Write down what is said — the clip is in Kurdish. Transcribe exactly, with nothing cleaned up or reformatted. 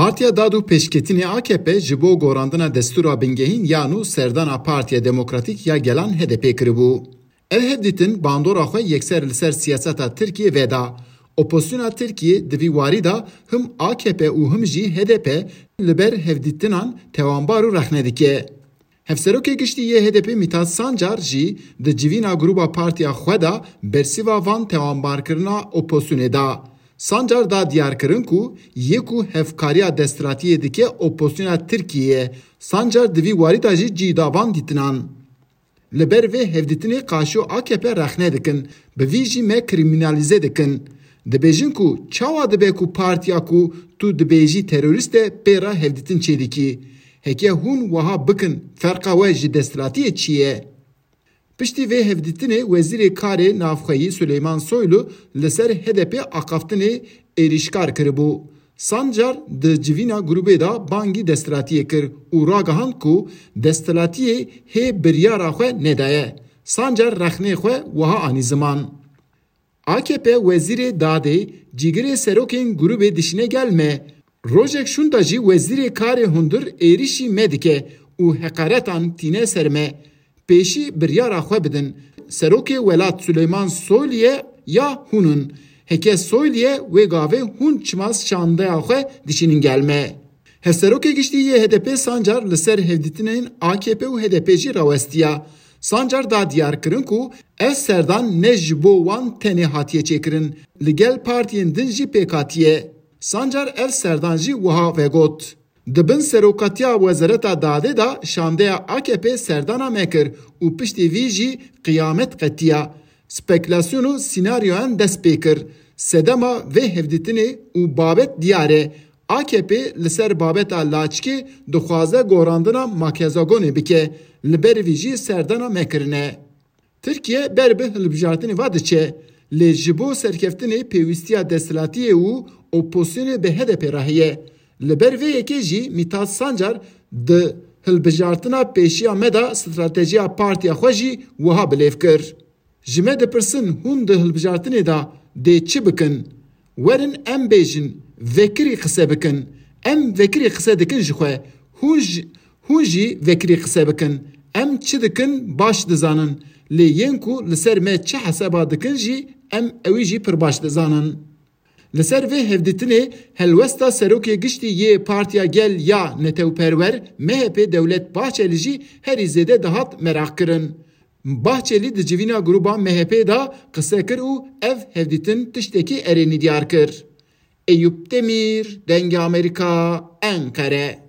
Partiya Dad û Pêşketinê A K P ji bo gorandina destûra bingehîn ya nû serdana Partiya Demokratîk ya Gelan H D P kiribû. Ev hevdîtin bandora xwe yekser li ser siyaseta Tirkiyê veda. Opozisyona Tirkiyê di vî warî de him A K P û him jî H D P li ber hevdîtinan tewanbar û rexne dike. Hevserokê Giştî yê H D P Mithat Sancar jî di civîna grûba partiya xwe de bersiva van tewanbarkirina opozisyonê da. Sancar da diyarkirin ku yê ku hevkariya desthilatiyê dike opozisyona Tirkiyê ye. Sancar di vî warî de jî cî da van dîtinan. Li ber vê hevdîtinê qaşo A K P rexne dikin, bi vî jî me krîmînalîze dikin. Dibêjin ku çawa dibe ku partiya ku tu dibêjî terorîst e pê re hevdîtin çêdikî? Heke hûn wiha bikin, ferqa we ji desthilatiyê çi ye? Piştî vê hevdîtinê Wezîrê Karê Navxweyî Suleyman Soylu li ser H D P axaftinê êrîşkar kiribû. Sancar di civîna grûbê de bangî desthilatiyê kir û ragihand ku desthilatiyê hê biryara xwe nedaye. Sancar rexnê xwe wiha anî ziman. A K P wezîrê dadê cîgirê serokên grûbê dişîne gel me. Rojek şûnda jî wezîrê karê hundir êrîşî me dike û heqaretan tîne ser me. Pêşî biryara xwe bidin. Serokê welat Suleyman Soylu ye ya hûn in? Heke Soylu ye wê gavê hûn çima şandeya xwe dişînin gel me? Hevserokê Giştî yê H D P Sancar li ser hevdîtinên A K P û H D P jî rawestiya. Sancar da diyar kirin ku ev serdan ne ji bo wan tenê hatiye çêkirin, li gel partiyên din jî pêk hatiye. Sancar ev serdan jî wiha vegot. Di bin serokatiya Wezareta Dadê de şandeya A K P serdana me kir û piştî vî jî qiyamet qetiya. Spekülasyon û senaryoyan dest pê kir. Sedema vê hevdîtinê û babet diyar e. A K P li ser babeta Laçikê dixwaze gorandina Makezagonê bike. Li ber vî jî serdana me kirine. Tirkiye ber bi hilbijartinê ve diçe, lê ji bo serkeftinê pêwîstiya desthilatiyê û opozisyonê bi H D P re heye. Li ber vê yekê jî Mithat Sancar di hilbijartina pêşiya me de stratejiya partiya xwe jî wiha bilêv kir. Ji me dipirsin, hûn di hilbijartinê de dê çi bikin? Werin em bêjin, vekirî qise bikin. Em vekirî qise dikin ji xwe. Hûn ji, hûn jî vekirî qise bikin. Em çi dikin baş dizanin. Lê yên ku li ser me çi hesaba dikin jî em ewî jî pir baş dizanin. Li ser vê hevdîtinê helwesta serokê giştî yê Partiya Gel ya Netewperwer, M H P, Dewlet Bahçelî jî herî zêde dihat meraq kirin. Bahçelî di civîna grûba M H P de qise kir û ev hevdîtin tiştekî erênî diyar kir. Eyûp Demîr, Dengê Amerîka, Enqere.